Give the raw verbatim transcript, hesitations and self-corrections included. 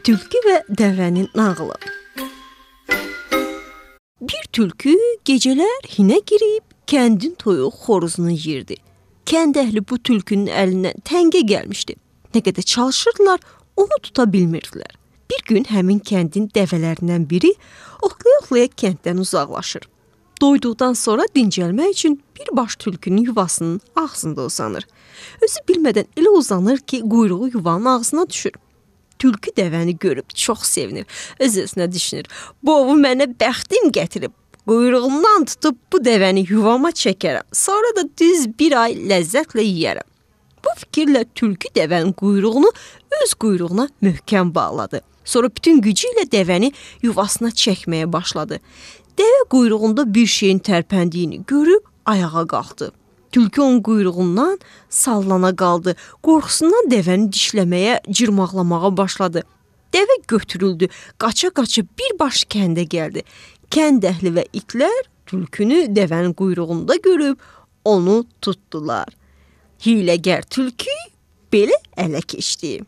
Tülkü və dəvənin nağılı. Bir tülkü gecələr hinə girib kəndin toyuq xoruzunu yeyirdi. Kənd əhli bu tülkünün əlindən təngə gəlmişdi. Nə qədər çalışırdılar, onu tuta bilmirdilər. Bir gün həmin kəndin dəvələrindən biri oxlaya-oxlaya kənddən uzaqlaşır. Doyduqdan sonra dincəlmək üçün birbaş tülkünün yuvasının ağzında uzanır. Özü bilmədən elə uzanır ki, quyruğu yuvanın ağzına düşür. Tülkü dəvəni görüb çox sevinir. Öz-özünə düşünür. Bu ovu mənə bəxtim gətirib. Quyruğundan tutub bu dəvəni yuvama çəkərəm. Sonra da düz bir ay ləzzətlə yeyərəm. Bu fikirlə tülkü dəvənin quyruğunu öz quyruğuna möhkəm bağladı. Sonra bütün gücü ilə dəvəni yuvasına çəkməyə başladı. Dəvə quyruğunda bir şeyin tərpəndiyini görüb ayağa qalxdı. Tülkü onun quyruğundan sallana qaldı. Qorxusundan dəvəni dişləməyə, cırmaqlamağa başladı. Dəvə götürüldü, qaça-qaça birbaş kəndə gəldi. Kənd əhli və itlər tülkünü dəvənin quyruğunda görüb onu tutdular. Hiyləgər tülkü belə ələ keçdi.